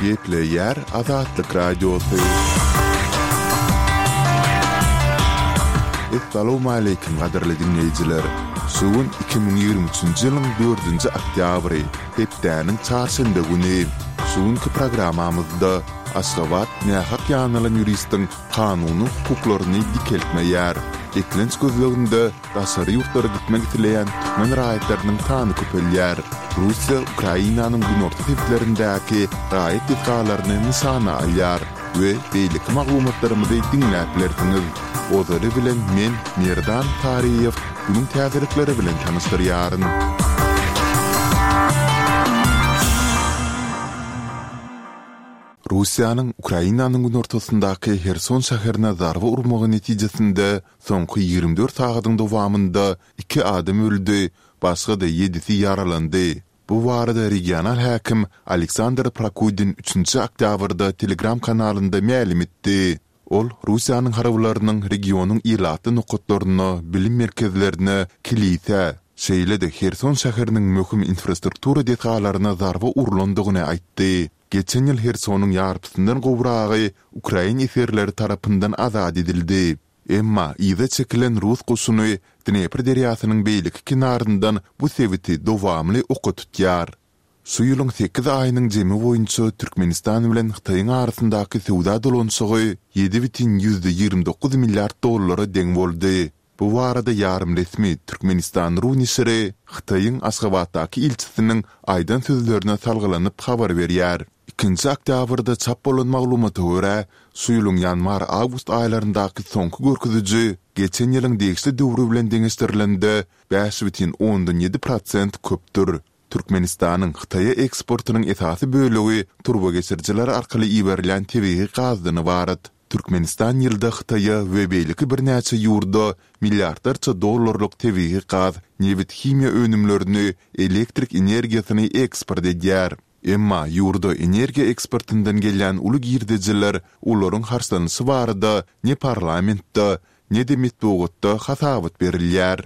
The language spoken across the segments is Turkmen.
Gepleýär Azatlyk Radiosy. Essalawmaleýkim gadyrly diňleýjiler! Şu gün 2023-nji ýylyň dördünji oktýabry, hepdäniň çarşenbe güni. Şu günki programmamyzda Aşgabat nähak ýanylan ýuristiň kanuny hukuklaryny dikeltmeýär. Eklenç gözleginde Daşary ýurtlara gitmek isleýän türkmen raýatlarynyň sany köpelýär. Russiýa Ukrainanyň günorta sebitlerindäki raýat desgalaryny nyşana alýar we beýleki maglumatlarymyzy diňläp bilersiňiz. Ozaly bilen men, Merdan Taryýew, günüň täzelikleri bilen tanyşdyrýaryn. Russiýanyň Ukrainanyň günortasyndaky Herson şäherine zarba urmagy netijesinde Soňky 24 sagadyň dowamynda iki adam öldi, başga-da ýedisi ýaralandy. Bu barada regional häkim Aleksandr Prokudin üçünji oktýabrda Telegram kanalynda mälim etdi. Ol Russiýanyň harbylarynyň regionyň ilatly nokatlaryna, bilim merkezlerine, kilisä, şeýle-de Herson şäheriniň möhüm infrastruktura desgalaryna zarba urlandygyny aýtdy. Geçen ýyl Hersonyň ýarpysyndan gowragy ukrain esgerleri tarapyndan azat edildi. Emma yza çekilen rus goşuny Dnepr derýasynyň beýleki kenaryndan bu sebiti dowamly oka tutýar. Şu ýylyň sekiz aýynyň jemi boýunça Türkmenistan bilen Hytaýyň arasyndaky söwda dolanyşygy 7,29 milliard dollara deň boldy. Bu barada ýarym resmi Türkmenistan. Ru neşiri Hytaýyň Aşgabatdaky ilçisiniň aýdan sözlerine salgylanyp habar berýär. Ikinji oktýabrda çap bolan maglumata görä, şu ýylyň ýanwar-awgust aýlaryndaky soňky görkeziji geçen ýylyň degişli döwri bilen deňeşdirilende 5,7 prosent köpdür. Türkmenistanyň Hytaýa eksportynyň esasy bölegi turbageçirijiler arkaly iberilýän tebigy gazdan ybarat. Türkmenistan ýylda Hytaýa we beýleki birnäçe ýurda milliardlarça dollarlyk tebigy gaz, nebit-himiýa önümlerini, elektrik energiýasyny eksport edýär. Emma ýurda energiýa eksportyndan gelýän uly girdejiler olaryň harçlanyşy barada ne parlamentde, ne-de metbugatda hasabat berilýär.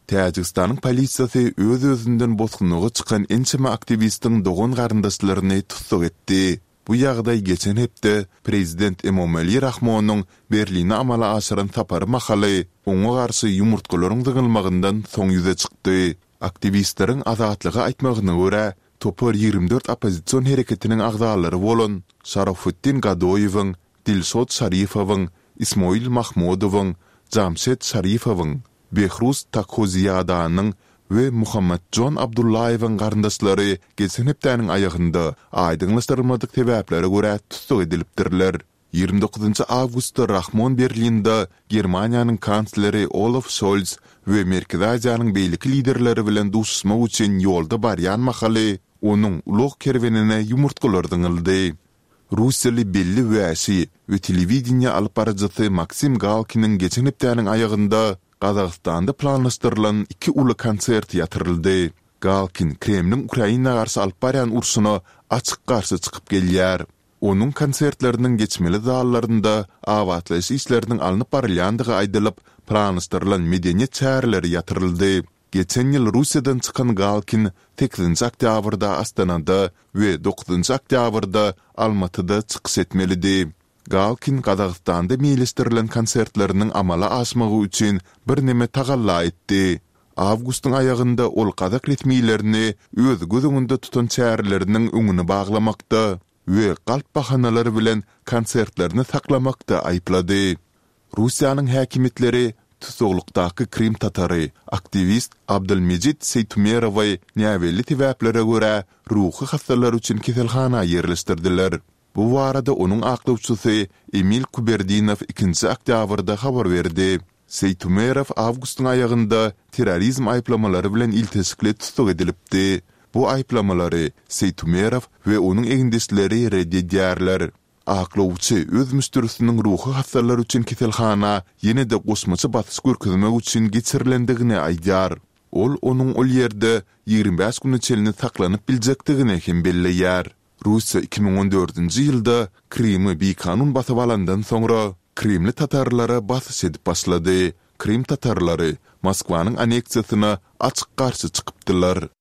Täjigistanyň polisiýasy öz-özünden bosgunlyga çykan ençeme aktiwistiň dogan-garyndaşlaryny tussag etdi. Bu ýagdaý geçen hepde prezident Emomali Rahmonyň Berline amala aşyran sapary mahaly oňa garşy ýumurtgalaryň zyňylmagyndan soň ýüze çykdy. Aktiwistleriň Azatlyga aýtmagyna görä, topar 24 oppozision hereketiniň agzalary bolan Şarofuddin Gadoýewiň, Dilşod Şarifowyň, Ismoil Mahmudowyň, Jamşed Şarifowyň, Behruz Takhoziýadanyň we Muhammadjon Abdullaýewiň garyndaşlary geçen hepdäniň aýagynda aýdyňlaşdyrylmadyk sebäplere görä tussag edilipdirler. 29 awgustda Rahmon Berlinde Germaniýanyň kansleri Olaf Şolz we Merkezi Aziýanyň beýleki liderleri bilen duşuşmak üçin ýolda barýan mahaly onuň ulag kerwenine ýumurtgalar zyňyldy. Russiýaly belli wäşi we telewideniýe alyp baryjysy Maksim Galkiniň geçen hepdäniň aýagynda Gazagystanda planlaşdyrylan iki uly konserti ýatyryldy. Galkin Kremliň Ukraina garşy alyp barýan urşuna açyk garşy çykyp gelýär. Onuň konsertleriniň geçmeli zallarynda abatlaýyş işleriniň alnyp barylýandygy aýdylyp, planlaşdyrylan medeniýet çäreleri ýatyryldy. Geçen ýyl Russiýadan çykan Galkin sekizinji oktýabrda Astanada we dokuzynjy oktýabrda Almatyda çykyş etmelidi. Galkin Gazagystanda meýilleşdirilen konsertleriniň amala aşmagy üçin birneme tagalla etdi. Awgustyň aýagynda ol gazak resmilerini öz göz öňünde tutan çäreleriniň öňüni baglamakda we galp bahanalar bilen konsertlerini saklamakda aýyplady. Russiýanyň häkimiýetleri tussaglykdaky krym tatary, aktiwist Abdylmejit Seýtumerowy näbelli sebäplere görä ruhy hassalar üçin keselhana ýerleşdirdiler. Bu barada onuň aklawçysy Emil Kuberdinow ikinji oktýabrda habar berdi. Seýtumerow awgustyň aýagynda terrorizm aýyplamalary bilen ilteşikli tussag edilipdi. Bu aýyplamalary Seýtumerow we onuň egindeşleri ret edýärler. Aklawçy öz müşderisiniň ruhy hassalar üçin keselhana ýene-de goşmaça basyş görkezmek üçin geçirilendigini aýdýar. Ol onuň ol ýerde 25 güne çenli saklanyp biljekdigini hem belleýär. Russiýa 2014-nji ýylda Krymy bikanun basyp alandan soňra, krymly tatarlara basyş edip başlady. Krym tatarlary Moskwanyň anneksiýasyna açyk garşy çykypdylar.